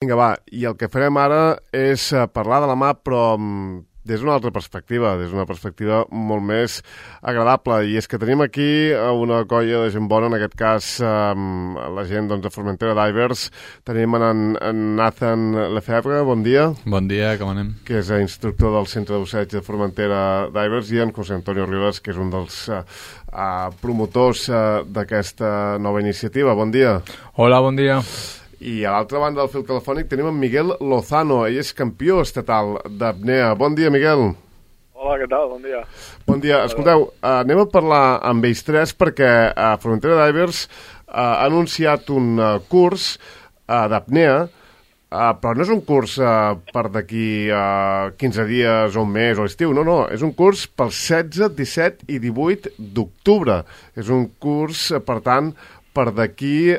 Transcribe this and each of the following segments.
Vinga, va, i el que farem ara és parlar de la mà, però des d'una altra perspectiva, des d'una perspectiva molt més agradable. I és que tenim aquí una colla de gent bona, en aquest cas la gent de Formentera Divers. Tenim en Nathan Lefebvre, bon dia. Bon dia, com anem? Que és instructor del Centre de Busseig de Formentera Divers, i en José Antonio Rivas, que és un dels promotors d'aquesta nova iniciativa. Bon dia. Hola, bon dia. I a l'altra banda del fil telefònic tenim en Miguel Lozano. Ell és campió estatal d'apnea. Bon dia, Miguel. Hola, què tal? Bon dia. Bon dia. Escolteu, anem a parlar amb ells tres perquè Formentera Divers ha anunciat un curs d'apnea, però no és un curs per d'aquí 15 dies o un mes o estiu, no. És un curs pels 16, 17 i 18 d'octubre. És un curs, per tant, per d'aquí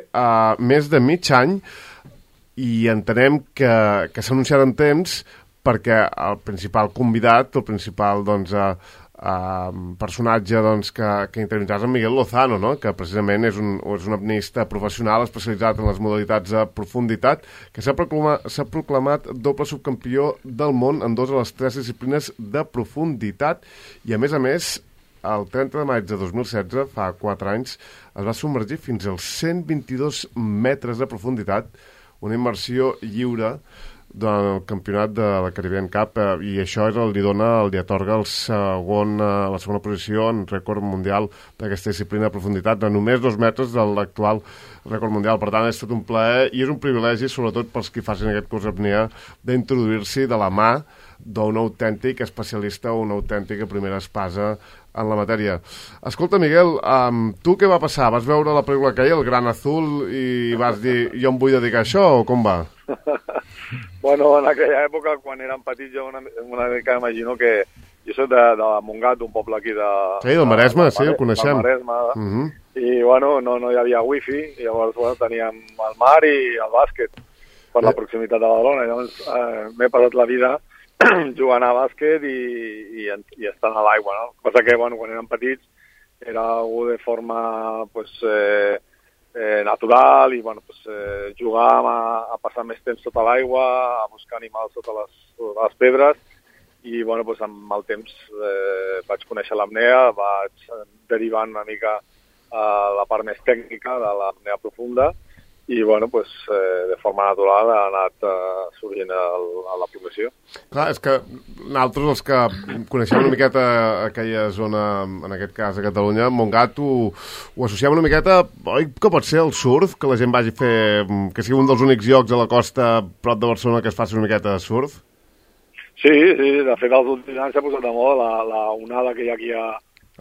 més de mig any, i entenem que s'ha anunciat en temps perquè el principal convidat, el principal personatge que intervindrà és en Miguel Lozano, no? Que precisament és un apneista professional especialitzat en les modalitats de profunditat, que s'ha proclamat doble subcampió del món en 2 de les 3 disciplines de profunditat, i a més, el 30 de maig de 2016, fa 4 anys, es va submergir fins als 122 metres de profunditat, una immersió lliure durant el campionat de la Caribbean Cup, i això li atorga la segona posició en rècord mundial d'aquesta disciplina de profunditat, de només 2 metres de l'actual rècord mundial. Per tant, és tot un plaer i és un privilegi, sobretot pels que facin aquest curs d'apnea, d'introduir-s'hi de la mà d'un autèntic especialista o una autèntica primera espasa en la matèria. Escolta, Miguel, tu què va passar? Vas veure la pel·lícula aquella, El Gran Azul, i vas dir, jo em vull dedicar a això, o com va? Bueno, en aquella època, quan érem petits, jo una mica imagino que jo soc de Montgat, un poble aquí de... Sí, del Maresme, sí, el coneixem. Del Maresme, i bueno, no hi havia wifi, i llavors teníem el mar i el bàsquet per la proximitat de Badalona. Llavors m'he passat la vida jugant a bàsquet i estant a l'aigua, no? Cosa que, bueno, quan érem petits era algú de forma natural, i bueno, jugàvem a passar més temps sota l'aigua, a buscar animals sota les pedres, i bueno, amb el temps vaig conèixer l'apnea, vaig derivant una mica a la part més tècnica de l'apnea profunda, i bueno, de forma natural ha anat sorgint a la professió. Clar, és que nosaltres, els que coneixem una miqueta aquella zona, en aquest cas a Catalunya, Montgat, ho associem una miqueta, oi que pot ser el surf, que la gent vagi a fer, que sigui un dels únics llocs a la costa prop de Barcelona que es faci una miqueta de surf? Sí, de fet els últims anys s'ha posat de moda la onada que hi ha aquí a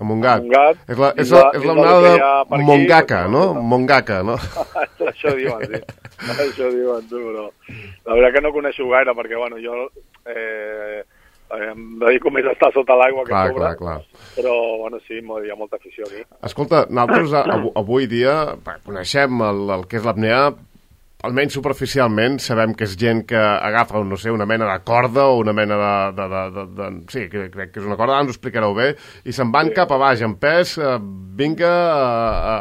Montgat. És la onada de Mongaka, no? Mongaka, no? Això diuen, sí. Això diuen, tu, però la veritat que no coneixo gaire, perquè, bueno, jo em dedico més a estar sota l'aigua que sobre. Clar. Però, bueno, sí, hi ha molta afició aquí. Escolta, nosaltres avui dia coneixem el que és l'apnea, almenys superficialment. Sabem que és gent que agafa, no sé, una mena de corda o una mena de sí, crec que és una corda, ara ens ho explicareu bé, i se'n van cap a baix, en pes, vinga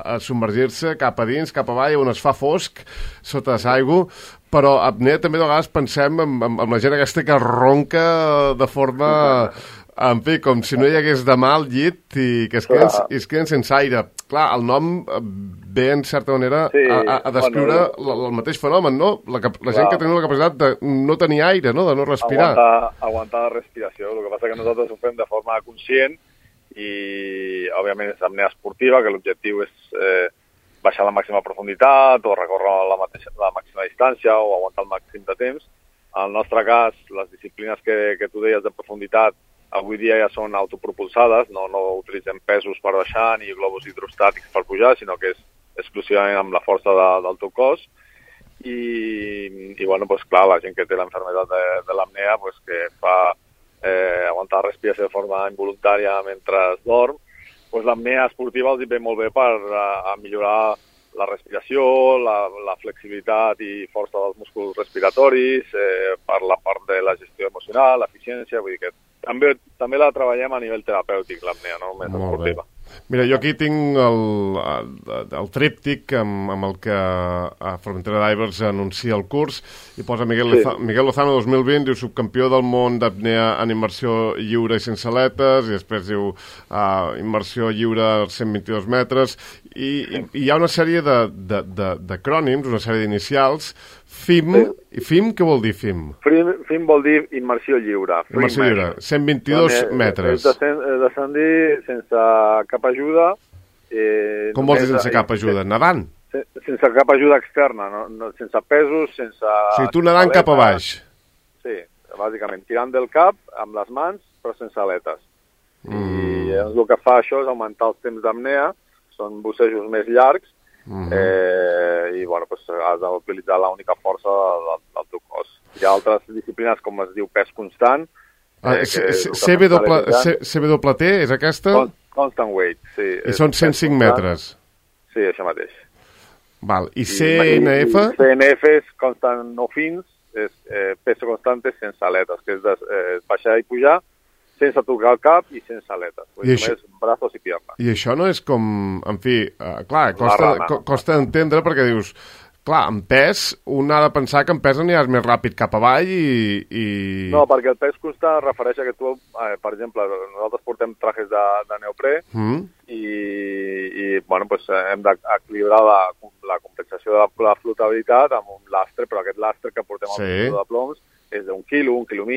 a submergir-se cap a dins, cap avall, on es fa fosc, sota l'aigua. Però apnea també de vegades pensem en la gent aquesta que ronca de forma... En fi, com si no hi hagués demà al llit i que es queden sense aire. Clar, el nom ve, en certa manera, a descriure el mateix fenomen, no? La gent que tenia la capacitat de no tenir aire, no? De no respirar. Aguantar la respiració. El que passa que nosaltres ho fem de forma conscient i, òbviament, és apnea esportiva, que l'objectiu és baixar la màxima profunditat o recórrer la màxima distància o aguantar el màxim de temps. En el nostre cas, les disciplines que tu deies de profunditat avui dia ja són autopropulsades, no utilitzem pesos per baixar ni globus hidrostàtics per pujar, sinó que és exclusivament amb la força del teu cos. I bueno, clar, la gent que té l'enfermedad de l'apnea, que fa aguantar la respiració de forma involuntària mentre dorm, l'apnea esportiva els ve molt bé per millorar la respiració, la flexibilitat i força dels músculs respiratoris, per la part de la gestió emocional, l'eficiència, vull dir que també la treballem a nivell terapèutic, l'apnea, no només esportiva. Mira, jo aquí tinc el tríptic amb el que a Formentera Divers anuncia el curs i posa Miguel Lozano 2020, diu subcampió del món d'apnea en immersió lliure i sense aletes, i després diu immersió lliure als 122 metres, i hi ha una sèrie d'acrònims, una sèrie d'inicials. FIM, i FIM, què vol dir FIM? FIM vol dir immersió lliure. Immersió lliure, 122 metres. És descendir sense cap ajuda. Com vols dir sense cap ajuda? Nedant? Sense cap ajuda externa, sense pesos, sense... O sigui, tu nedant cap a baix. Sí, bàsicament, tirant del cap amb les mans, però sense aletes. I el que fa això és augmentar els temps d'apnea, són bussejos més llargs, i bueno, pues, has d'utilitzar l'única força del teu cos. Hi ha altres disciplines com es diu pes constant. CWT és aquesta? Constant weight, sí. I són 105 metres. Sí, això mateix. Val. I CNF? CNF és constant no fins, és peso constante sense aletes, que és baixar i pujar, sense tocar el cap i sense aletes. Només braços i piernes. I això no és com... En fi, clar, costa d'entendre perquè dius... Clar, en pes, un ha de pensar que en pes aniràs més ràpid cap avall i... No, perquè el pes constant es refereix a que tu, per exemple, nosaltres portem trajes de neoprè i bueno, pues, hem d'equilibrar la compensació de la flotabilitat amb un lastre, però aquest lastre que portem al cinturó de ploms és d'un quilo, 1,5 quilos,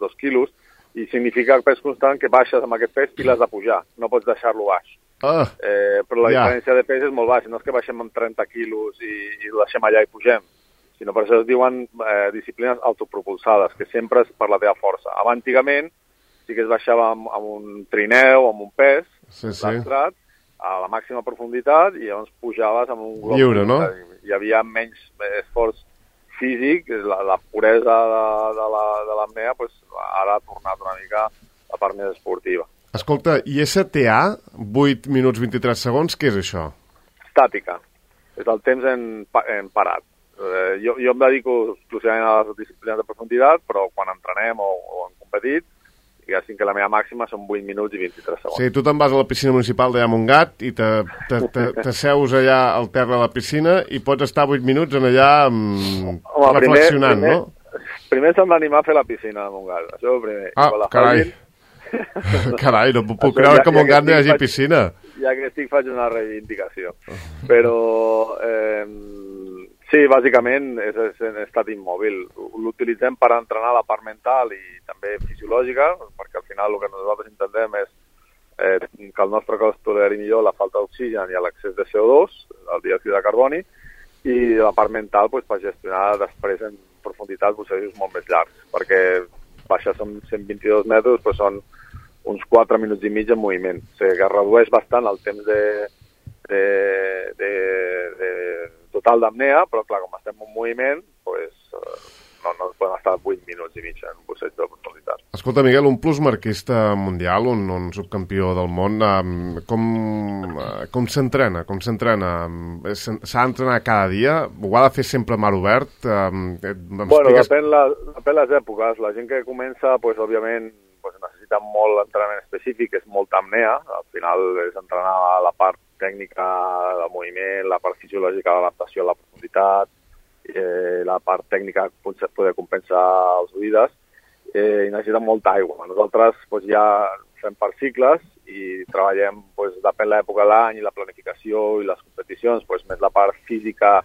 2 quilos, i significa el pes constant que baixes amb aquest pes i l'has de pujar, no pots deixar-lo baix. Però la diferència de pes és molt baixa, no és que baixem amb 30 quilos i ho deixem allà i pugem, sinó per això es diuen disciplines autopropulsades, que sempre és per la teva força. Antigament sí que es baixava amb un trineu, amb un pes, lastrat, a la màxima profunditat, i llavors pujaves amb un glob. Lliure, no? Hi havia menys esforç físic, la puresa de l'apnea, pues, ara ha tornat una mica la part més esportiva. Escolta, i STA, 8 minuts 23 segons, què és això? Estàtica. És el temps en parat. Jo em dedico exclusivament a les disciplines de profunditat, però quan entrenem o hem competit, diguéssim que la meva màxima són 8 minuts i 23 segons. Sí, tu te'n vas a la piscina municipal d'allà a Montgat i t'asseus allà al terra de la piscina i pots estar 8 minuts en allà reflexionant, no? Primer s'han d'animar a fer la piscina de Montgat, això primer. Carai. Carai, no puc creure que a Montgat no hi hagi piscina. Ja que estic faig una reivindicació. Però... sí, bàsicament és en estat immòbil. L'utilitzem per entrenar la part mental i també fisiològica, perquè al final el que nosaltres intentem és que el nostre cos toleri millor la falta d'oxigen i l'excés de CO2, el diòxid de carboni, i la part mental pues, per gestionar després en profunditat bussejos molt més llargs, perquè baixar som 122 metres, pues són uns 4 minuts i mig en moviment. O sigui que redueix bastant el temps de total d'apnea, però clar, com estem en moviment, pues, no podem estar 8 minuts i mig en un busseig de profunditat. Escolta, Miguel, un plusmarquista mundial, un subcampió del món, com s'entrena? S'ha d'entrenar cada dia? Ho ha de fer sempre a mar obert? Bueno, depèn les èpoques. La gent que comença, pues, òbviament, pues, necessita molt entrenament específic, és molta apnea. Al final és entrenar la part tècnica del moviment, la part fisiològica de l'adaptació a la profunditat, la part tècnica poder compensar els oïdes, i necessita molta aigua. Nosaltres pues, ja fem per cicles i treballem, pues, depèn l'època de l'any i la planificació i les competicions, pues, més la part física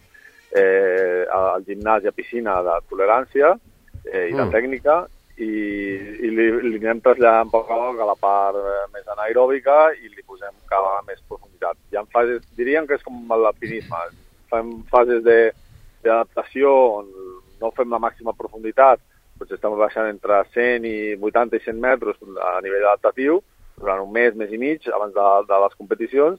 al gimnàs i a piscina de tolerància i de tècnica, i li anem traslladant poc a poc a la part més anaeròbica i li posem cada vegada més profunditat. Hi ha fases, diríem que és com l'alpinisme, fem fases d'adaptació on no fem la màxima profunditat, doncs estem baixant entre 100 i 80 i 100 metres a nivell adaptatiu durant un mes i mig abans de les competicions,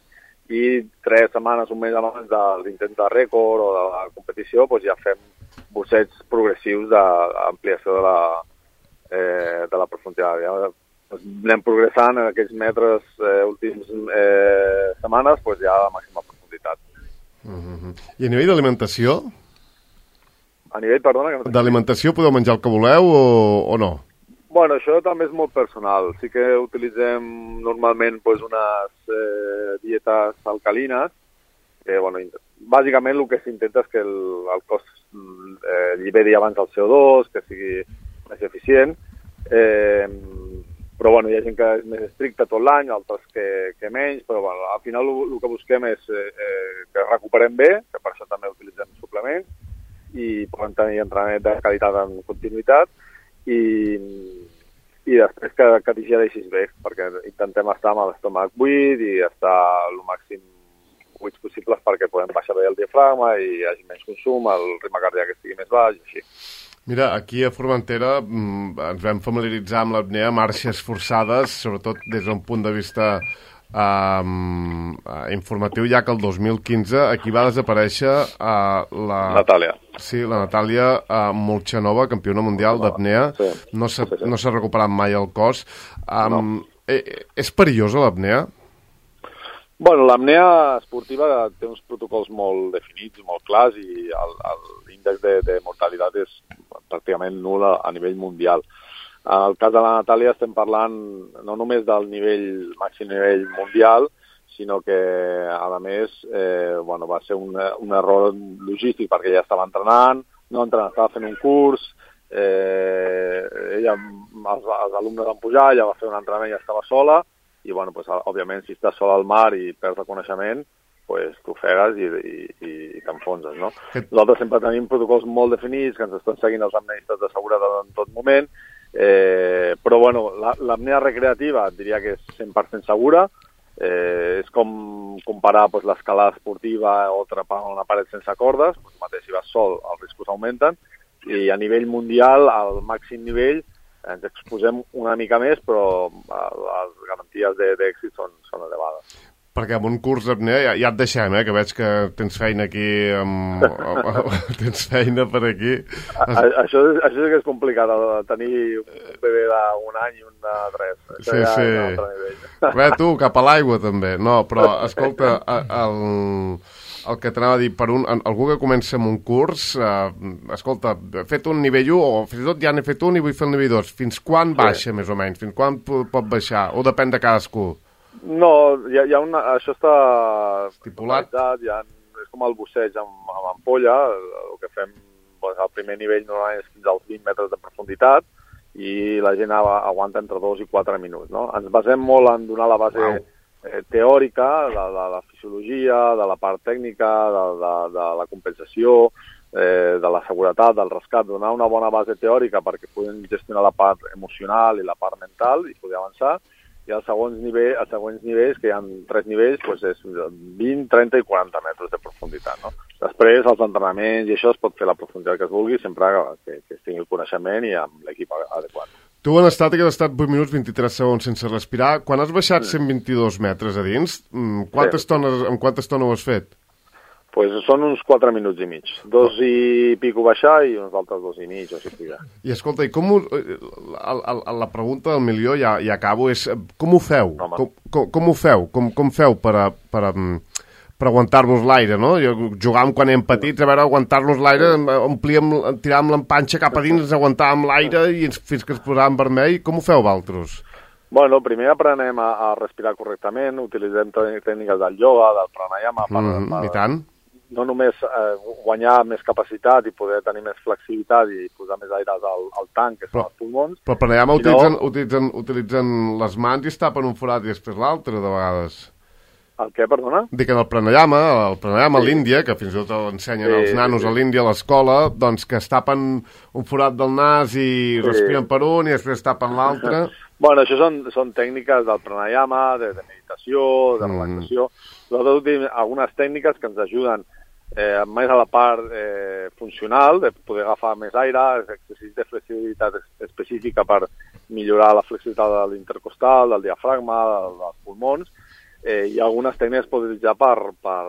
i 3 setmanes, un mes abans de l'intent de rècord o de la competició, doncs ja fem busseigs progressius d'ampliació de la profunditat. Ja anem progressant en aquests metres últims setmanes, doncs ja a la màxima profunditat. I a nivell d'alimentació? A nivell, perdona? D'alimentació podeu menjar el que voleu o no? Bueno, això també és molt personal. Sí que utilitzem normalment pues, unes dietes alcalines, que, bueno, bàsicament el que s'intenta és que el cos lliberi abans el CO2, que sigui més eficient, però bueno, hi ha gent que és més estricta tot l'any, altres que menys, però bueno, al final el que busquem és que recuperem bé, que per això també utilitzem suplements, i podem tenir entrenament de qualitat en continuïtat, i després que digereixis bé, perquè intentem estar amb l'estómac buit i estar el màxim buits possibles perquè podem baixar bé el diafragma i hi hagi menys consum, el ritme cardíac estigui més baix i així. Mira, aquí a Formentera ens vam familiaritzar amb l'apnea, marxes forçades, sobretot des d'un punt de vista informatiu, ja que el 2015 aquí va desaparèixer la Natàlia. Sí, la Natàlia Molchanova, campiona mundial d'apnea. Sí. No s'ha recuperat mai el cos. És perillosa l'apnea? Bueno, l'apnea esportiva té uns protocols molt definits, molt clars, i l'índex de mortalitat és pràcticament nul a nivell mundial. En el cas de la Natàlia estem parlant no només del màxim nivell mundial, sinó que, a més, va ser un error logístic perquè ja estava entrenant, estava fent un curs, els alumnes van pujar, ella va fer un entrenament i ja estava sola, i, òbviament, si estàs sola al mar i perds el coneixement, t'ofegues i t'enfonses, no? Nosaltres sempre tenim protocols molt definits, que ens estan seguint els apneistes de seguretat en tot moment, però, l'apnea recreativa diria que és 100% segura, és com comparar l'escalada esportiva o trepar una paret sense cordes, mateix si vas sol els riscos augmenten, i a nivell mundial, al màxim nivell, ens exposem una mica més, però les garanties d'èxit són elevades. Perquè amb un curs d'apnea ja et deixem, que veig que tens feina aquí, tens feina per aquí. Això sí que és complicat, tenir un bebè d'un any i un de 3. Sí. És un altre nivell. Res, tu, cap a l'aigua també. No, però, escolta, el que t'anava a dir, algú que comença amb un curs, escolta, he fet un nivell 1, o fins i tot ja n'he fet un i vull fer el nivell 2. Fins quan baixa, més o menys? Fins quan pot baixar? O depèn de cadascú? No, això està estipulat. És com el busseig amb ampolla. El que fem al primer nivell normalment és fins als 20 metres de profunditat i la gent aguanta entre 2 i 4 minuts. No? Ens basem molt en donar la base teòrica de la fisiologia, de la part tècnica, de la compensació, de la seguretat, del rescat, donar una bona base teòrica perquè puguin gestionar la part emocional i la part mental i poder avançar. I els següents nivells, que hi ha 3 nivells, és 20, 30 i 40 metres de profunditat. No? Després, els entrenaments i això es pot fer la profunditat que es vulgui, sempre que es tingui el coneixement i amb l'equip adequat. Tu en estàtic has estat 8 minuts 23 segons sense respirar. Quan has baixat 122 metres a dins, en quanta estona ho has fet? Són uns 4 minuts i mig. 2 i pico baixar i uns altres 2 i mig, o sigui pujar. I escolta, la pregunta del milió, ja acabo, és com ho feu? Com ho feu? Com feu per aguantar-vos l'aire, no? Jugàvem quan érem petits, a veure, aguantar-nos l'aire, tiràvem l'empanxa cap a dins, aguantàvem l'aire fins que es posàvem vermell. Com ho feu, vosaltres? Bueno, primer aprenem a respirar correctament, utilitzem tècniques del ioga, del pranayama, I tant. No només guanyar més capacitat i poder tenir més flexibilitat i posar més aire al tanc, que són els pulmons. Però pranayama utilitzen les mans i es tapen un forat i després l'altre, de vegades. El què, perdona? Dic que el pranayama a l'Índia, que fins i tot l'ensenyen els nanos a l'Índia a l'escola, doncs que es tapen un forat del nas i respiren per un i després es tapen l'altre. Bueno, això són tècniques del pranayama, de meditació, de relaxació. Nosaltres tenim algunes tècniques que ens ajuden més a la part funcional, de poder agafar més aire, exercicis de flexibilitat específica per millorar la flexibilitat de l'intercostal, del diafragma, dels pulmons, i algunes tècniques es poden utilitzar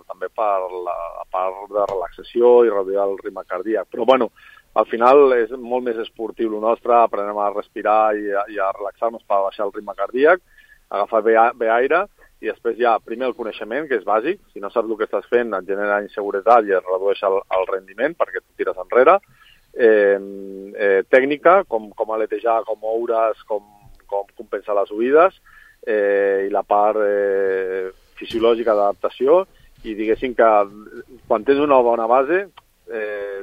també per la part de relaxació i reduir el ritme cardíac. Però, bueno, al final és molt més esportiu el nostre, aprenem a respirar i a relaxar-nos per baixar el ritme cardíac, agafar bé aire, i després hi ha primer el coneixement, que és bàsic. Si no saps el que estàs fent, et genera inseguretat i es redueix el rendiment perquè tu tires enrere. tècnica, com aletejar, com moure's, com compensar les oïdes, i la part fisiològica d'adaptació, i diguéssim que quan tens una bona base,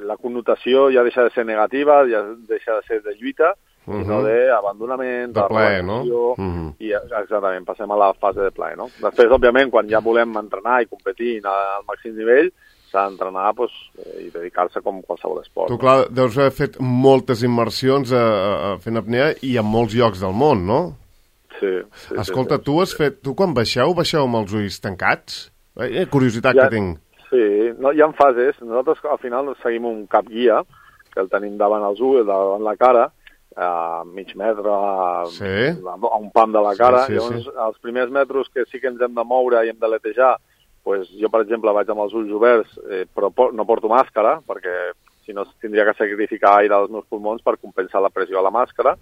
la connotació ja deixa de ser negativa, ja deixa de ser de lluita, sinó d'abandonament, de plaer, no? I exactament, passem a la fase de plaer, no? Després, òbviament, quan ja volem entrenar i competir al màxim nivell, s'ha d'entrenar i dedicar-se com qualsevol esport. Tu, clar, deus haver fet moltes immersions fent apnea i a molts llocs del món, no? Sí. Escolta, tu quan baixeu amb els ulls tancats? Curiositat que tinc. Sí, no, hi ha fases. Nosaltres al final seguim un cap guia, que el tenim davant els ulls, davant la cara, a mig metre, a un pam de la cara. Llavors, els primers metres que sí que ens hem de moure i hem d'aletejar, pues, jo, per exemple, vaig amb els ulls oberts, però no porto màscara, perquè si no tindria que sacrificar aire als meus pulmons per compensar la pressió a la màscara.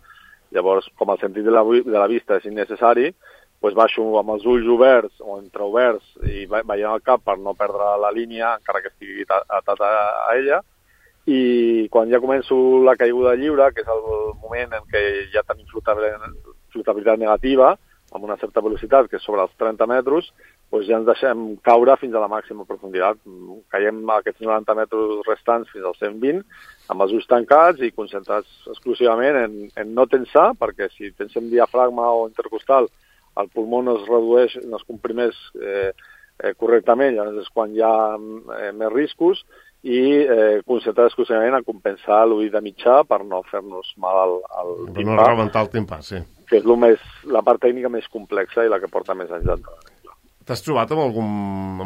Llavors, com el sentit de la vista és innecessari, pues baixo amb els ulls oberts o entreoberts i veient el cap per no perdre la línia, encara que estigui atat a ella. I quan ja començo la caiguda lliure, que és el moment en què ja tenim flotabilitat negativa, amb una certa velocitat, que és sobre els 30 metres, doncs ja ens deixem caure fins a la màxima profunditat. Caiem aquests 90 metres restants fins als 120, amb els ulls tancats i concentrats exclusivament en no tensar, perquè si tensem diafragma o intercostal, el pulmó no es redueix, no es comprimeix correctament, llavors és quan hi ha més riscos, i concentrar exclusivament a compensar l'oïda de mitjà per no fer-nos mal al timpà. Per no rebentar el timpà, sí. Que és la part tècnica més complexa i la que porta més anys d'entrenament. T'has trobat amb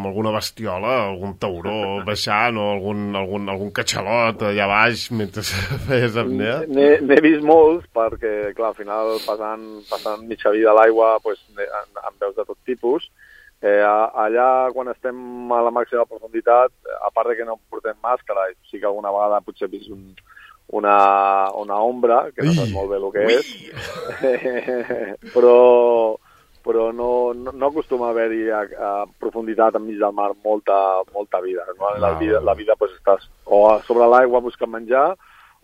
alguna bestiola, algun tauró baixant o algun catxalot allà baix mentre feies apnea? N'he vist molts perquè, clar, al final passant mitja vida a l'aigua pues, en veus de tot tipus. Allà, quan estem a la màxima profunditat, a part de que no portem màscara, sí que alguna vegada potser he vist una ombra, que no saps molt bé el que és, però no acostuma a haver-hi a profunditat enmig del mar molta vida. La vida pues, estàs o sobre l'aigua buscant menjar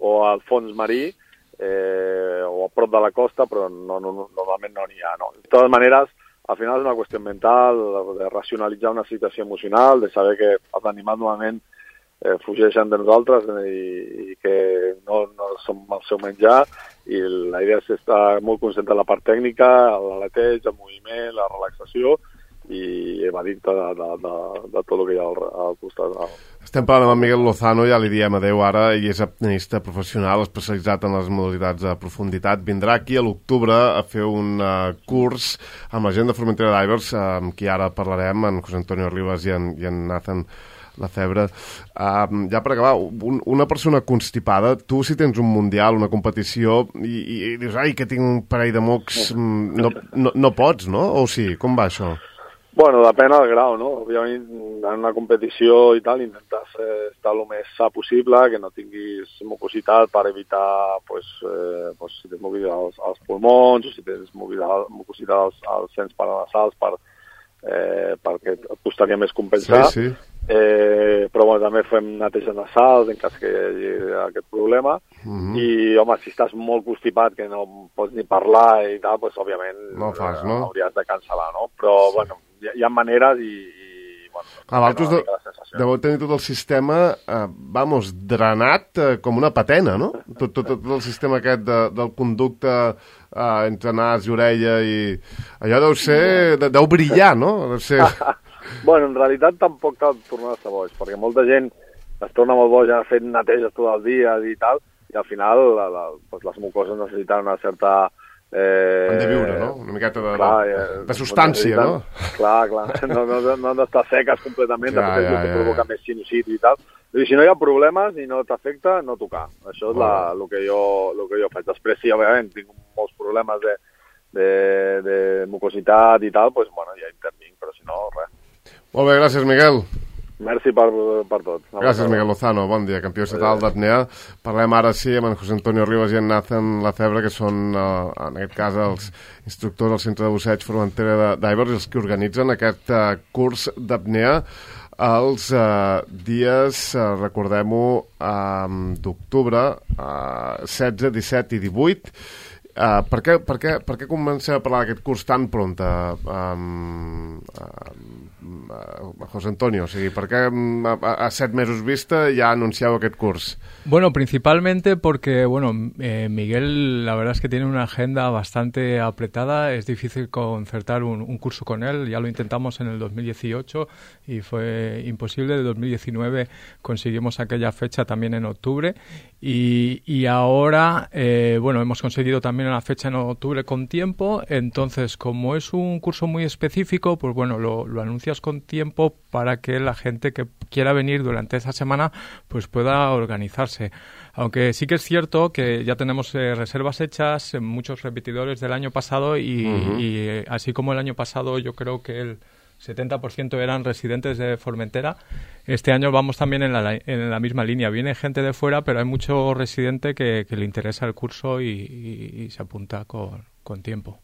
o al fons marí o a prop de la costa, però normalment no n'hi ha. No? De totes maneres, al final és una qüestió mental, de racionalitzar una situació emocional, de saber que els animals normalment fugeixen de nosaltres i que no som el seu menjar, i la idea és estar molt conscient de la part tècnica, l'aleteig, el moviment, la relaxació i evadir-te de tot el que hi ha al costat. Estem parlant amb Miguel Lozano, ja li diem adeu ara, i és apneista professional especialitzat en les modalitats de profunditat. Vindrà aquí a l'octubre a fer un curs amb la gent de Formentera Divers, amb qui ara parlarem, en José Antonio Rivas i en Nathan Lefebvre. Ja per acabar, una persona constipada, tu si tens un mundial, una competició, i dius, ai, que tinc un parell de mocs, no pots, no? O sí? Com va això? Bueno, depèn del grau, no? Òbviament, en una competició i tal, intentes estar el més sa possible, que no tinguis mucositat per evitar, si tens mucositat als pulmons, o si tens mucositat als sens paranasals perquè et costaria més compensar. Sí. Però bueno, també fem neteja nasal en cas que hi hagi aquest problema. I home, si estàs molt constipat que no pots ni parlar i tal, doncs òbviament no fas, no? Hauries de cancel·lar, no? Però bueno, hi ha maneres i bueno, vosaltres deveu tenir tot el sistema drenat com una patena, no? Tot el sistema aquest del conducte entre nas i orella, i allò deu brillar, no? Deu ser... Bueno, en realitat tampoc cal tornar-se boig, perquè molta gent es torna molt boja fent neteges tot el dia i tal, i al final les mucoses necessiten una certa... Han de viure, no? Una miqueta de substància, no? Clar, no han d'estar seques completament, després que provoca més sinusitis i tal. I si no hi ha problemes i no t'afecta, no tocar. Això és el que jo faig. Després, sí, òbviament, tinc molts problemes de mucositat i tal, doncs, bueno, ja intervinc, però si no, res. Molt bé, gràcies, Miguel. Merci per tot. Gràcies, Miguel Lozano. Bon dia, campió estatal d'apnea. Parlem ara, sí, amb en José Antonio Rivas i en Nathan Lefebvre, que són, en aquest cas, els instructors del Centre de Busseig Formentera Divers, els que organitzen aquest curs d'apnea. els dies, recordem-ho, d'octubre, 16, 17 i 18. Per què comencem a parlar d'aquest curs tan pront, José Antonio? O sigui, per què a 7 mesos vista ja anuncieu aquest curs? Bueno, principalmente porque, Miguel, la verdad es que tiene una agenda bastante apretada. Es difícil concertar un curso con él. Ya lo intentamos en el 2018 y fue imposible. En el 2019 conseguimos aquella fecha también en octubre. Y ahora, hemos conseguido también una fecha en octubre con tiempo. Entonces, como es un curso muy específico, pues lo anuncias con tiempo para que la gente que quiera venir durante esa semana pues pueda organizarse. Aunque sí que es cierto que ya tenemos reservas hechas, muchos repetidores del año pasado y así como el año pasado yo creo que el 70% eran residentes de Formentera, este año vamos también en la misma línea. Viene gente de fuera, pero hay mucho residente que le interesa el curso y se apunta con tiempo.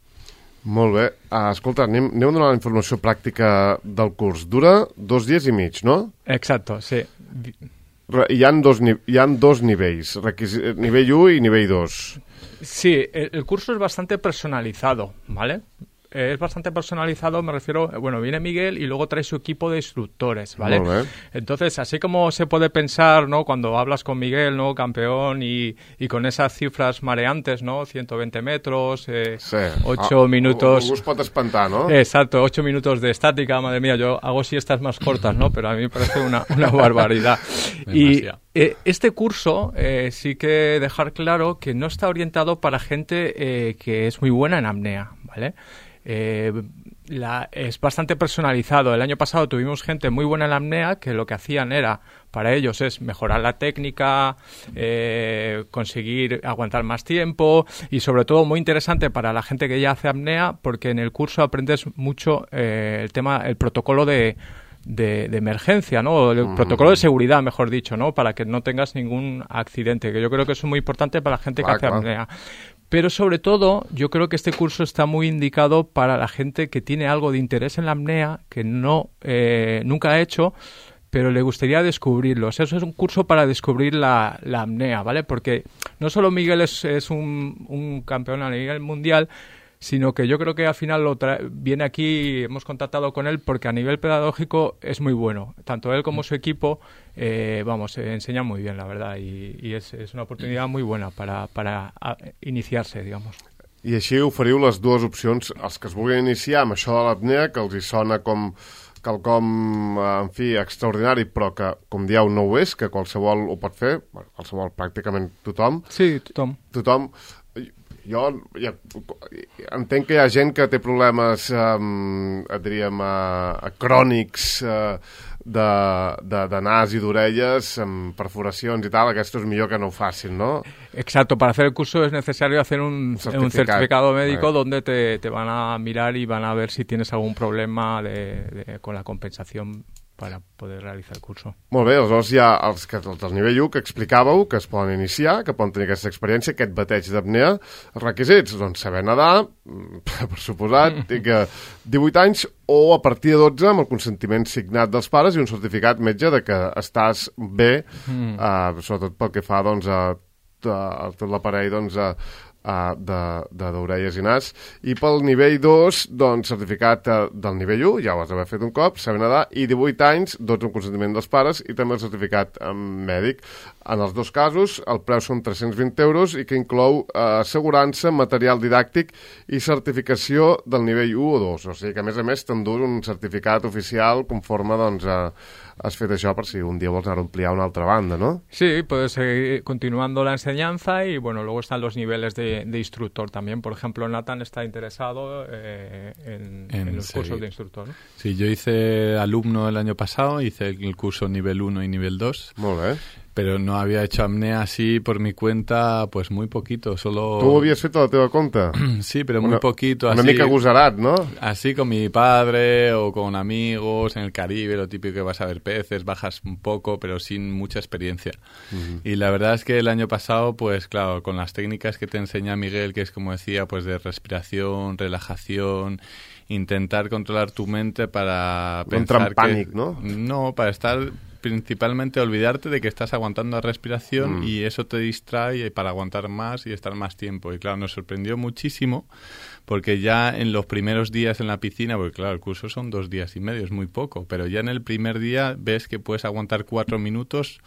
Molt bé. Escolta, anem a donar la informació pràctica del curs. Dura 2 dies i mig, no? Exacto, sí. Hi ha dos nivells, nivell 1 i nivell 2. Sí, el curso es bastante personalizado, ¿vale? Es bastante personalizado, me refiero, viene Miguel y luego trae su equipo de instructores, ¿vale? Entonces, así como se puede pensar, ¿no? Cuando hablas con Miguel, ¿no? Campeón y con esas cifras mareantes, ¿no? 120 metros, 8 minutos... Algú es pot espantar, ¿no? Exacto, 8 minutos de estática, madre mía, yo hago siestas más cortas, ¿no? Pero a mí me parece una barbaridad. Y este curso sí que dejar claro que no está orientado para gente que es muy buena en apnea, ¿vale? Es bastante personalizado. El año pasado tuvimos gente muy buena en la apnea que lo que hacían era, para ellos es mejorar la técnica, conseguir aguantar más tiempo y sobre todo muy interesante para la gente que ya hace apnea porque en el curso aprendes mucho el protocolo de emergencia, ¿no? El protocolo de seguridad, mejor dicho, ¿no? Para que no tengas ningún accidente, que yo creo que eso es muy importante para la gente que hace apnea. Pero sobre todo, yo creo que este curso está muy indicado para la gente que tiene algo de interés en la apnea, que nunca ha hecho, pero le gustaría descubrirlo. O sea, eso es un curso para descubrir la apnea, ¿vale? Porque no solo Miguel es un campeón a nivel mundial, sino que yo creo que al final viene aquí, hemos contactado con él porque a nivel pedagógico es muy bueno. Tanto él como su equipo, enseñan muy bien, la verdad, y es una oportunidad muy buena para iniciarse, digamos. I així oferiu les dues opcions als que es vulguin iniciar amb això de l'apnea, que els hi sona com quelcom, en fi, extraordinari, però que, com dieu, no ho és, que qualsevol ho pot fer, qualsevol, pràcticament tothom. Sí, tothom. Tothom. Jo entenc que hi ha gent que té problemes, diríem, crònics de nas i d'orelles, amb perforacions i tal. Aquesto és millor que no ho facin, ¿no? Exacto, para hacer el curso es necesario hacer un certificado médico donde te van a mirar y van a ver si tienes algún problema con la compensación para poder realitzar el curso. Molt bé, aleshores hi ha els del nivell 1 que explicàveu, que es poden iniciar, que poden tenir aquesta experiència, aquest bateig d'apnea. Els requisits, doncs saber nedar, per suposat, i que 18 anys o a partir de 12 amb el consentiment signat dels pares i un certificat metge de que estàs bé, sobretot pel que fa doncs, a tot l'aparell doncs, d'orelles i nas. I pel nivell 2, doncs, certificat del nivell 1, ja ho has d'haver fet un cop, saber nedar, i 18 anys, 12 amb consentiment dels pares, i també el certificat mèdic. En els dos casos, el preu són 320 euros i que inclou assegurança, material didàctic i certificació del nivell 1 o 2. O sigui que, a més, t'endús un certificat oficial conforme, doncs, has fet això per si un dia vols anar a ampliar una altra banda, ¿no? Sí, puedes seguir continuando la enseñanza y, bueno, luego están los niveles de instructor también. Por ejemplo, Nathan está interesado en los cursos de instructor, ¿no? Sí, yo hice alumno el año pasado, hice el curso nivel 1 y nivel 2. Molt bé. Pero no había hecho apnea así por mi cuenta, pues muy poquito, solo... Tu ho havies fet a la teva compte? Sí, pero muy poquito. Una así, mica agosarat, ¿no? Así con mi padre o con amigos en el Caribe, lo típico que vas a ver peces, bajas un poco, pero sin mucha experiencia. Y la verdad es que el año pasado, pues claro, con las técnicas que te enseña Miguel, que es como decía, pues de respiración, relajación, intentar controlar tu mente para pensar en pánico, ¿no? No, para estar... principalmente olvidarte de que estás aguantando la respiración y eso te distrae para aguantar más y estar más tiempo. Y claro, nos sorprendió muchísimo porque ya en los primeros días en la piscina, porque claro, el curso son 2 días y medio, es muy poco, pero ya en el primer día ves que puedes aguantar 4 minutos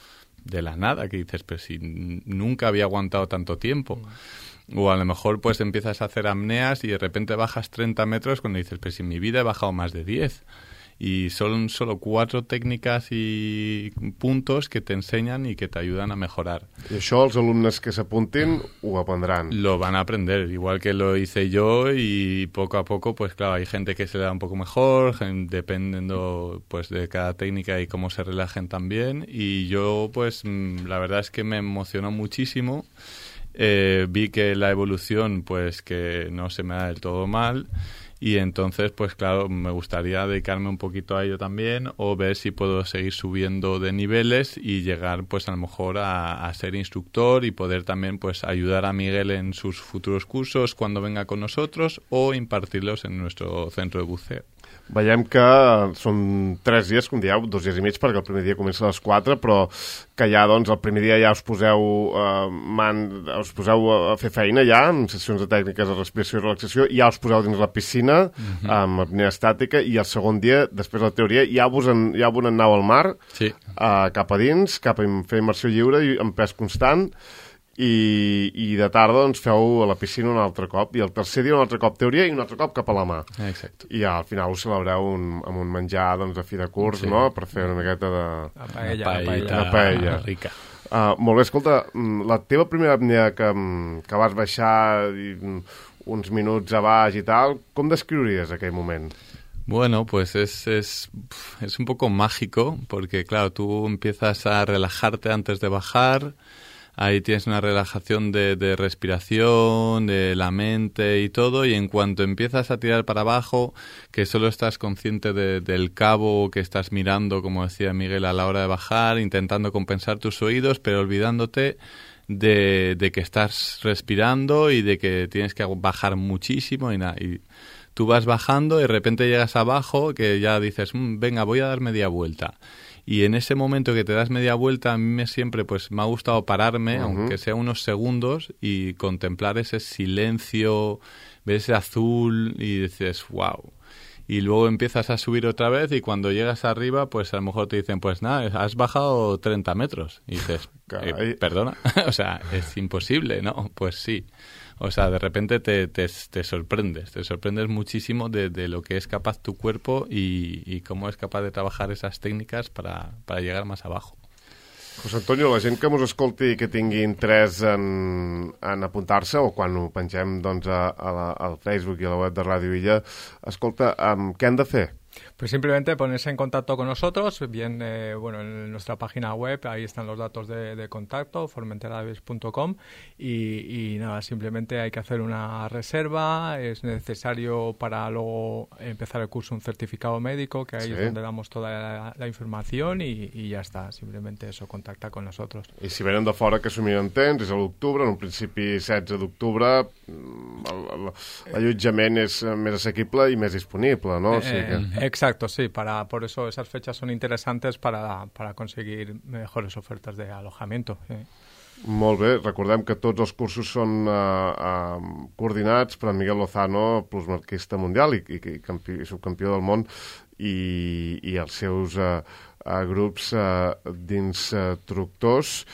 de la nada, que dices, pero si nunca había aguantado tanto tiempo. O a lo mejor pues empiezas a hacer apneas y de repente bajas 30 metros cuando dices, pero si en mi vida he bajado más de 10. Y son solo 4 técnicas y puntos que te enseñan y que te ayudan a mejorar. I això els alumnes que s'apuntin ho aprendran. Lo van a aprender, igual que lo hice yo, y poco a poco, pues claro, hay gente que se le da un poco mejor, dependiendo pues de cada técnica y cómo se relajen también. Y yo pues la verdad es que me emocionó muchísimo. Vi que la evolución pues que no se me da del todo mal. Y entonces, pues claro, me gustaría dedicarme un poquito a ello también o ver si puedo seguir subiendo de niveles y llegar, pues a lo mejor a ser instructor y poder también, pues ayudar a Miguel en sus futuros cursos cuando venga con nosotros o impartirlos en nuestro centro de buceo. Veiem que són 3 dies, com dieu, 2 dies i mig, perquè el primer dia comença a les 4, però que ja, doncs, el primer dia ja us poseu a fer feina ja, amb sessions de tècniques de respiració i relaxació, i ja us poseu dins la piscina, amb apnea estàtica, i el segon dia, després de la teoria, ja vos aneu al mar, sí. Cap a dins, cap a fer immersió lliure i amb pes constant, i de tarda doncs feu a la piscina un altre cop i el tercer dia un altre cop teoria i un altre cop cap a la mà. Exacte. I al final ho celebreu amb un menjar doncs, de fi de curs, sí. No? Per fer una miqueta de... Una paella rica. Molt bé, escolta, la teva primera apnea que vas baixar uns minuts a baix i tal, com descriuries aquell moment? Bueno, pues es un poco mágico porque, claro, tú empiezas a relajarte antes de bajar. Ahí tienes una relajación de respiración, de la mente y todo, y en cuanto empiezas a tirar para abajo, que solo estás consciente del cabo que estás mirando, como decía Miguel, a la hora de bajar, intentando compensar tus oídos, pero olvidándote de que estás respirando y de que tienes que bajar muchísimo y nada. Y tú vas bajando y de repente llegas abajo que ya dices, venga, voy a dar media vuelta. Y en ese momento que te das media vuelta, a mí siempre pues me ha gustado pararme, aunque sea unos segundos, y contemplar ese silencio, ver ese azul y dices, wow. Y luego empiezas a subir otra vez y cuando llegas arriba, pues a lo mejor te dicen, pues nada, has bajado 30 metros. Y dices, perdona, o sea, es imposible, ¿no? Pues sí. O sea, de repente te sorprendes muchísimo de lo que es capaz tu cuerpo y cómo es capaz de trabajar esas técnicas para llegar más abajo. José Antonio, la gent que mos escolti i que tingui interès en apuntar-se, o quan ho pengem doncs, al Facebook i a la web de Ràdio Illa, escolta, què han de fer? Pues simplemente ponerse en contacto con nosotros, bien, en nuestra página web, ahí están los datos de contacto, formenteradavis.com, y nada, simplemente hay que hacer una reserva, es necesario para luego empezar el curso un certificado médico, que ahí es donde damos toda la información y ya está, simplemente eso, contacta con nosotros. I si venen de fora que s'ho miren temps, és a l'octubre, en un principi 16 d'octubre, l'allotjament és més assequible i més disponible, no? O sigui que... Exacto, sí, por eso esas fechas son interesantes para conseguir mejores ofertas de alojamiento. Molt bé, recordem que tots els cursos són coordinats per Miguel Lozano, plusmarquista mundial i subcampió del món, i els seus grups d'instructors.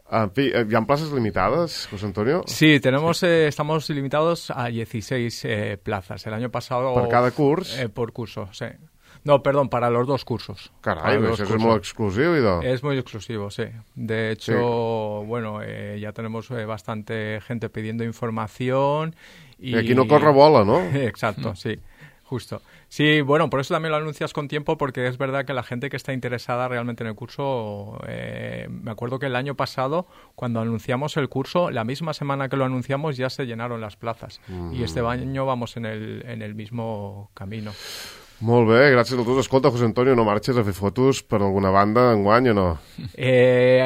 En fi, ¿y han plazas limitadas, José Antonio? Sí, estamos limitados a 16 plazas. El año pasado... ¿Por cada curso? Por curso, sí. No, perdón, para los 2 cursos. Caray, eso es muy exclusivo. Es muy exclusivo, sí. De hecho, ya tenemos bastante gente pidiendo información. Y aquí no corre bola, ¿no? Exacto, sí. Justo. Sí, bueno, por eso también lo anuncias con tiempo, porque es verdad que la gente que está interesada realmente en el curso, me acuerdo que el año pasado, cuando anunciamos el curso, la misma semana que lo anunciamos ya se llenaron las plazas. Y este año vamos en el mismo camino. Molt bé, gràcies a tots. Escolta, José Antonio, no marxes a fer fotos per alguna banda enguany o no?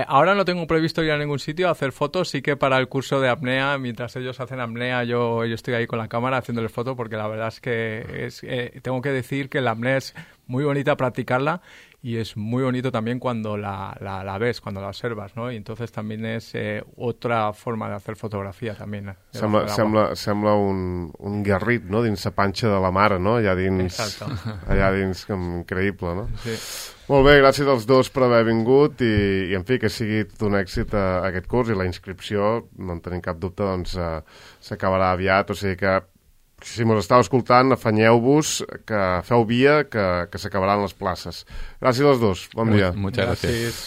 Ahora no tengo previsto ir a ningún sitio a hacer fotos, sí que para el curso de apnea, mientras ellos hacen apnea, yo estoy ahí con la cámara haciéndoles fotos, porque la verdad es que tengo que decir que la apnea es muy bonita practicarla y es muy bonito también cuando la ves, cuando la observas, ¿no? Y entonces también es otra forma de hacer fotografia també. Sembla un garrit, no?, dins la panxa de la mare, no?, allà dins, increïble, no? Sí. Molt bé, gràcies als dos per haver vingut i en fi, que sigui tot un èxit aquest curs, i la inscripció, no en tenim cap dubte, doncs s'acabarà aviat, o sigui que si mos estàu escoltant, afanyeu-vos, que feu via, que s'acabaran les places. Gràcies als dos, bon dia. Muchas gracias.